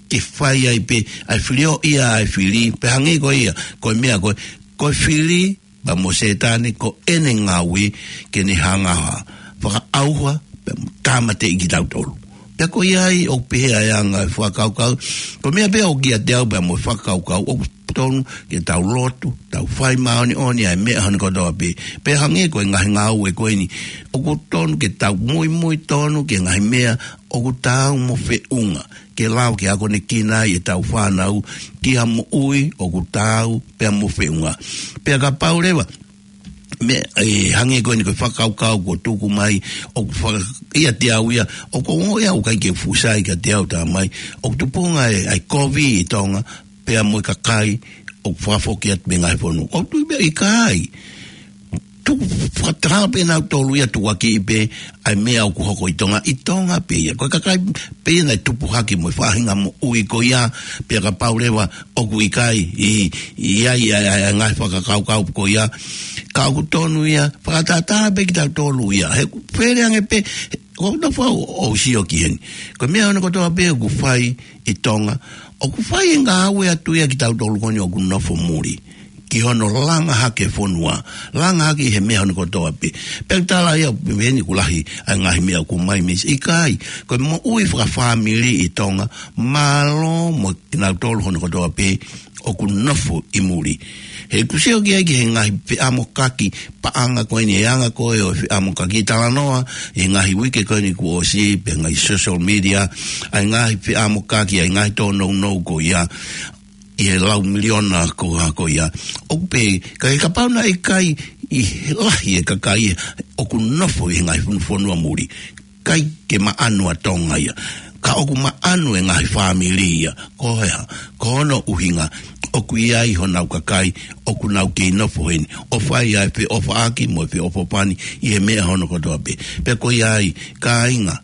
ke fai ai pē, ʻa e filioʻi ʻa e fili, pea hangē ko ia, ko e meʻa ko ē, ko e fili, pea mo Sētane, ko ʻene ngāue, ke ne hanga ʻo fakaʻauha, pea mo tāmateʻi kitautolu. Pea ko ia ai ʻoku pehē ʻa e anga e fakakaukau, ko e meʻa pē ʻoku ʻiate au pea mo e fakakaukau, ʻoku tonu ke tau lotu, tau fai māʻoniʻoni ʻa e meʻa hono kotoa pē. Pea hangē ko e ngaahi ngāue ko eni, ʻoku tonu ke tau muimui tonu ki he ngaahi meʻa ʻoku taau mo feʻunga, ke lava ke akonekina ai ʻetau fānau ki ha moʻui ʻoku taau pea mo feʻunga. Pea kapau leva, meʻa, ʻe, hangē ko eni ko e fakakaukau kuo tuku mai, ʻoku faka-, ʻiate au ia, ʻoku ou ongoʻi au ʻikai ke fuʻu sai kiate au, tā mai, ʻoku tupunga e, ʻa e kovi ʻi Tonga, pea mo e kakai ʻoku fakafoki atu mei he ngaahi fonua. ʻOku ou tui pē ʻikai. Tuku fakataha pē nautolu ia tukuakiʻi pē ʻa e meʻa ʻoku hoko ʻi Tonga, ʻi Tonga pē ia. Ko e kakai pē ia naʻe tupu hake mo e faʻahinga moʻui ko ia, pea kapau leva ʻoku ʻikai ʻi, ʻi ai ʻa e, ʻa e, ʻa e ngaahi fakakaukau ko ia. Ka ʻoku tonu ia, fakatātā pē kitautolu ia. He ʻoku fele ange pē, ʻoku ou nofo au ʻo sio ki heni. Ko e meʻa hono kotoa pē ʻoku fai ʻi Tonga, ʻoku fai e ngāue atu ia kitautolu ko eni ʻoku nofo muli. ki hono langa hake fonua, langa hake he meʻa hono kotoa pē. Pea tala ia pē eni kuo lahi ʻa e ngaahi meʻa ʻoku ʻomai mei ʻikai, ko e moʻui fakafāmili ʻi Tonga, mālō mo kinautolu hono kotoa pē ʻoku nofo ʻi muli. He ʻoku sio ki ai ki he ngaahi feʻamokaki paʻanga ko eni, e anga ko ē ʻo e feʻamokaki, talanoa ʻi he ngaahi uike ko eni kuo ʻosi pē ngaahi social media, ʻa e ngaahi feʻamokaki, ʻa e ngaahi tōnounou ko ia, ʻi he lau miliona ko ā ko ia. ʻOku pehē, ka ʻi he kapau naʻe ʻikai ʻi he lahi e kakai ʻoku nofo ʻi he ngaahi fonu-, fonua muli, ʻikai ke maʻanu ʻa Tonga ia. Ka ʻoku maʻanu e ngaahi fāmili ia. Ko e hā? Ko hono ʻuhinga ʻoku ʻi ai honau kakai ʻoku nau kei nofo heni, ʻo fai ai e feʻofaʻaki mo e feʻofoʻofani ʻi he meʻa hono kotoa pē. Pea ko ia ai, kāinga,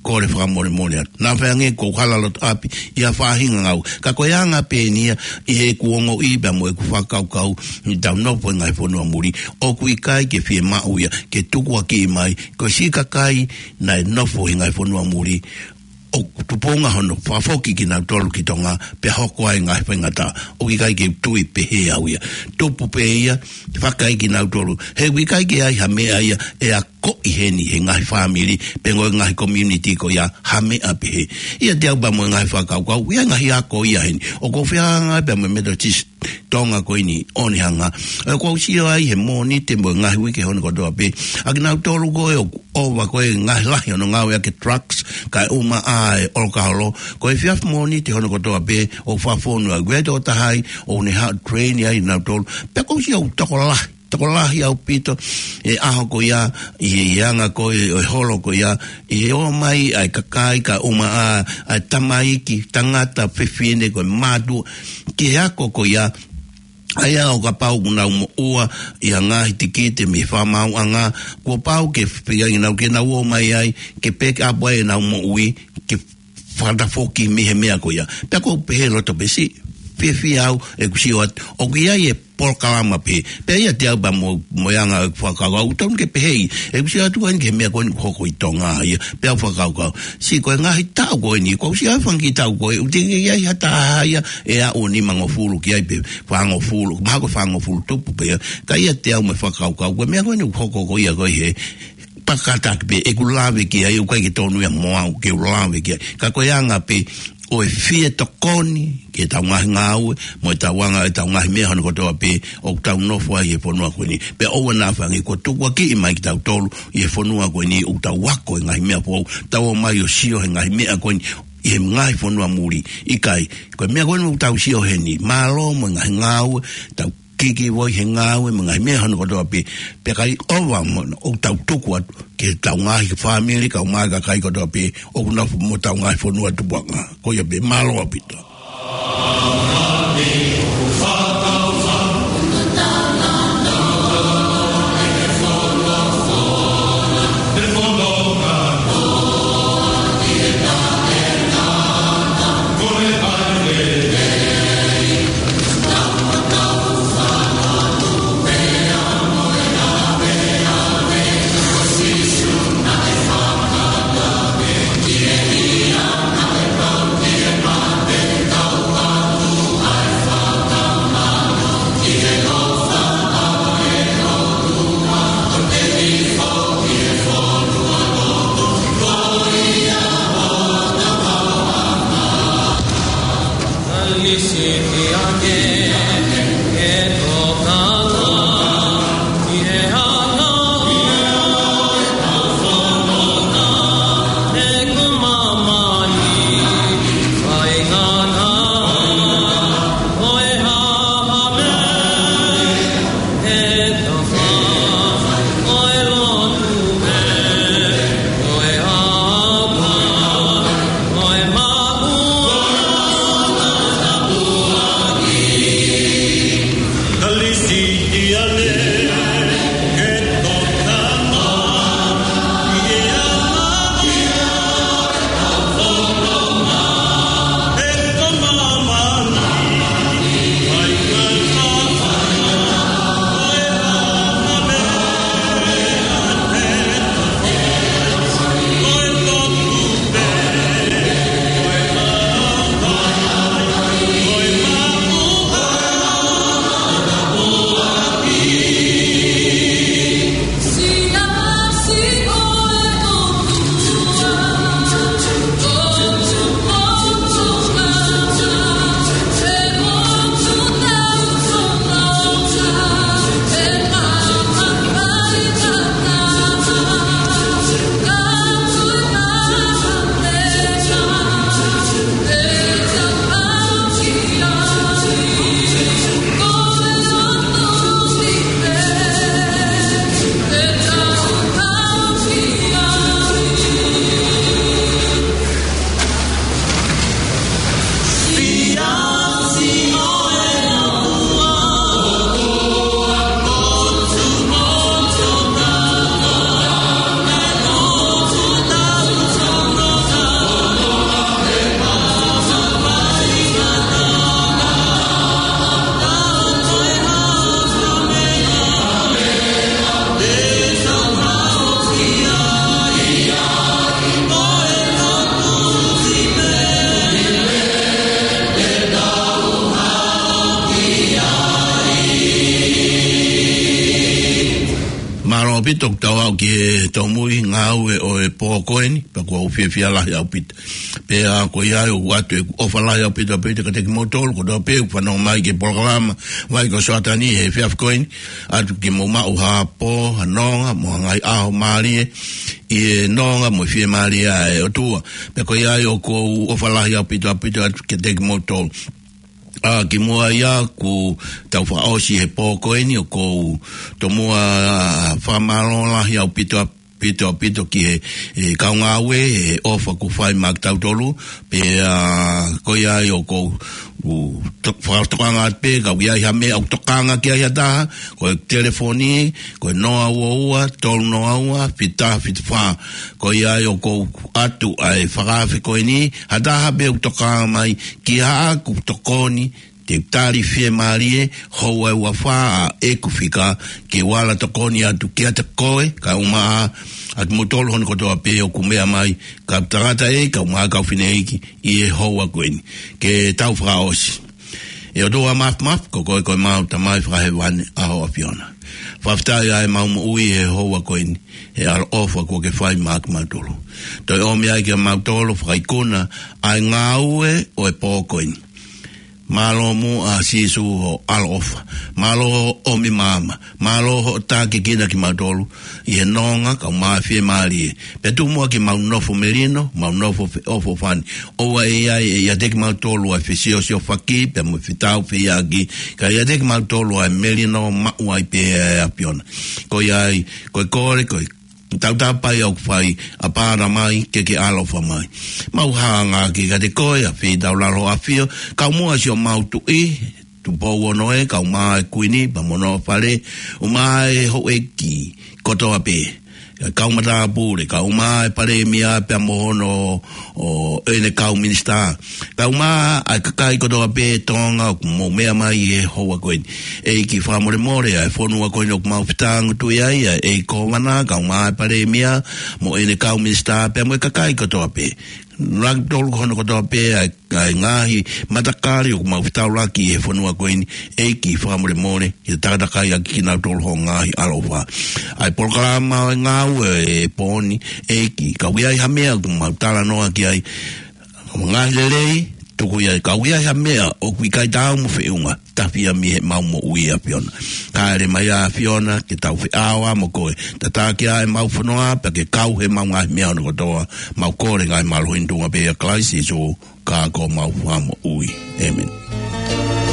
kole fakamolemole atu. Naʻa faʻa ange ko e hala loto ʻapi ʻi ha faʻahinga ngāue. Ka ko e anga pē eni ia, ʻi heʻeku ongoʻi pea mo ʻeku fakakaukau, ʻi heʻetau nofo ʻi he ngaahi fonua muli, ʻoku ʻikai ke fiemaʻu ia ke tukuakiʻi mai ko e siʻi kakai naʻe nofo ʻi he ngaahi fonua muli, ʻoku tupunga hono fakafoki kinautolu ki Tonga, pea hoko ai e ngaahi faingataʻa. ʻOku ʻikai ke u tui pehē au ia. Tupu pē ia, fakaʻi kinautolu. He ʻoku ʻikai ke ʻi ai ha meʻa ia ʻe akoʻi heni he ngaahi fāmili, pe ko e ngaahi community ko ia, ha meʻa pehē. ʻIate au pea mo e ngaahi fakakaukau, ʻi ai e ngaahi ako ia heni. ʻOku ou fehangahangai pea mo e Methodist Tonga ko eni ʻo Onehunga. ʻOku ou sio ai he Mōnite mo e ngaahi uike hono kotoa pē, ʻa kinautolu ko ē ʻoku ʻova ko ē e ngaahi lahi hono ngāueʻaki e drugs, kae ʻumaʻā e ʻolokaholo. Ko e efiafi Mōnite hono kotoa pē ʻoku fakafonu ai, ko e tokotaha ai ʻoku ne haʻu ʻo train ai kinautolu. Pea ʻoku ou sio ʻoku tokolahi, tokolahi ʻaupito e ʻaho ko ia, ʻi he, ʻi he anga ko ē ʻo e holo ko ia, ʻi he ō mai ʻa e kakai kae ʻumaʻā ʻa e tamaiki, tangata, fefine, ko e mātuʻa, ki he ako ko ia, ʻa ia ʻo kapau ʻoku nau moʻua ʻi ha ngaahi tikite mei he fakamaauʻanga, kuo pau ke feinga nau ke nau ō mai ai, ke pick up ai ʻenau moʻui, ke fakatafoki mei he meʻa ko ia. Pea ʻoku ou pehē loto pē siʻi fiefia au ʻeku sio atu ʻoku ʻi ai e polokalama pē. Pea ʻiate au pea mo, mo e anga ʻeku fakakaukau, ʻoku totonu ke pehē, ʻeku sio atu ko eni ki he meʻa ko eni ʻoku hoko ʻi Tonga ia. Pea u fakakaukau, siʻi ko e ngaahi taʻu ko eni, ʻoku ou sio ai fanga kiʻi taʻu ko ē, ʻoku teʻeki ai ha taha ia ʻe aʻu ʻo nimangofulu ki ai pe fāngofulu, mahalo ko e fāngofulu tupu pē ia. Ka ʻiate au mo e fakakaukau, ko e meʻa ko eni ʻoku hoko ko ia ko ē he pakataki pē, ʻeku lave ki ai, ʻoku ʻikai ke tonu ia mo au ke u lave ki ai. Ka ko e anga pē ʻo e fie tokoni ki heʻetau ngaahi ngāue, mo ʻetau anga, ʻetau ngaahi meʻa hono kotoa pē ʻoku tau nofo ai he fonua ko eni. Pea ʻoua naʻa faʻa ange kuo tukuakiʻi mai kitautolu ʻi he fonua ko eni ʻoku tau ako e ngaahi meʻa foʻou, tau ō mai ʻo sio he ngaahi meʻa ko eni ʻi he ngaahi fonua muli. ʻIkai, ko e meʻa ko eni ʻoku tau sio heni, mālō mo e ngaahi ngāue, tau kiki voi he ngāue mo e ngaahi meʻa hono kotoa pē, pea ʻikai ʻova mo ʻoku tau tuku atu ki heʻetau ngaahi fāmili, kae ʻumaʻā e kakai kotoa pē ʻoku nofo mo ʻetau ngaahi fonua tupuʻanga. Ko ia pē, mālō ʻaupito. ʻaupito ʻoku tau aʻu ki he tōmui ngāue ʻo e pō ko eni, pea ʻoku ou fiefia lahi ʻaupito. Pea ko ia ai ʻoku ʻoatu ʻeku ʻofa lahi ʻaupito ʻaupito kiate kimoutolu kotoa pē ʻoku fanongo mai ki he polokalama Vai ko Soatani he efiafi ko eni, ʻoatu ke mou maʻu ha pō, ha nonga, mo ha ngaahi ʻaho mālie, ʻi he nonga mo e fiemālie ʻa e ʻOtua. Pea ko ia ai ʻoku ou ʻofa lahi ʻaupito ʻaupito atu kiate kimoutolu. ʻA, kimuʻa ia kuo tau fakaʻosi he pō ko eni ʻoku ou tomuʻa fakamālō lahi ʻaupito ʻaupito ʻaupito ki he, he kau ngāue, he ʻofa kuo fai maʻa kitautolu, pea ko ia ai ʻoku ou, u, to-, fakatokanga atu pē, ka ʻoku ʻi ai ha meʻa ʻoku tokanga ki ai ha taha, ko e telefoni, ko e noa ua ua, tolu noa ua, fitu taha fitu fā. Ko ia ai ʻoku ou ʻoatu ʻa e fakaafe ko eni, ha taha pē ʻoku tokanga mai ki haʻaku tokoni, te u tali fiemālie, houa ʻe ua fā ʻa ʻeku fika, ke u ala tokoni atu kiate koe, kae ʻumaʻā ʻa kimoutolu hono kotoa pē ʻoku meʻa mai, kau tangataʻeiki, kae ʻumaʻā kau fineʻeiki, ʻi he houa ko eni. Ke tau fakaʻosi. ʻE ʻOtua Māfimafi, ko koe ko ʻemau Tamai Fakahēvani, ʻa ho ʻAfiona. Fakafetaʻi ʻa ʻemau moʻui he houa ko eni, he ʻaloʻofa kuo ke fai maʻa kimautolu. Toe ʻomi ai kimautolu, fakaikuna ʻa e ngāue ʻo e pō ko eni. Mālō muʻa Sīsū hoʻo ʻaloʻofa. Mālō hoʻo ʻomi maama. Mālō hoʻo tākiekina kimautolu ʻi he nonga kae ʻumaʻā e fiemālie. Pea tuku muʻa ke mau nofo melino, mau nofo feʻofoʻofani. ʻOua ʻe ʻi ai ʻiate kimautolu ʻa e fesiosiofaki, pea mo e fetaufehiʻaki, ka ʻiate kimautolu ʻa e melino maʻu ai pē ʻa e ʻAfiona. Ko ia ai, ko e kole, ko e tautapa ia ʻoku fai, ʻApā Tamai, ke ke ʻaloʻofa mai. Mau hanga kiate koe, ʻa Fitaulalo ʻAfio, kae ʻumaʻā siʻomau tuʻi, Tupou Ono ē, kae ʻumaʻā e Kuini, pea mo hono fale, ʻumaʻā e houʻeiki kotoa pē. Kau matāpule, kae ʻumaʻā e Palēmia pea mo hono, ʻo ʻene kau minisitā. Kae ʻumaʻā ʻa e kakai kotoa pē Tonga ʻoku mou meʻa mai he houa ko eni. ʻEiki fakamolemole ʻa e fonua ko eni ʻoku mau fetāngutuʻi ai, ʻa e ʻEiki Kōvana, kae ʻumaʻā e Palēmia, mo ʻene kau minisitā, pea mo e kakai kotoa pē. Laki tolu hono kotoa pē ʻa e, ʻa e ngaahi matakali ʻoku mau fetaulaki he fonua ko eni, ʻEiki fakamolemole, ke takatakai ʻaki kinautolu hoʻo ngaahi ʻaloʻofa. ʻA e polokalama ʻo e ngāue ʻo e pō ni, ʻEiki, ka ʻoku ʻi ai ha meʻa ʻoku mau talanoa ki ai, ngaahi lelei, tuku ia, ka ʻoku ʻi ai ha meʻa ʻoku ʻikai taau mo feʻunga, tafi ia mei heʻemau moʻui ʻAfiona. Kae ʻomai ʻa e ʻAfiona, ke tau feʻao mo koe. Tataki ʻa ʻemau fonua, pea ke kau heʻemau ngaahi meʻa hono kotoa, mau kole ngaahi mālohi ni ʻi he tuʻunga pē ʻia Kalaisi Sīsū, ka ko homau Fakamoʻui. ʻĒmeni.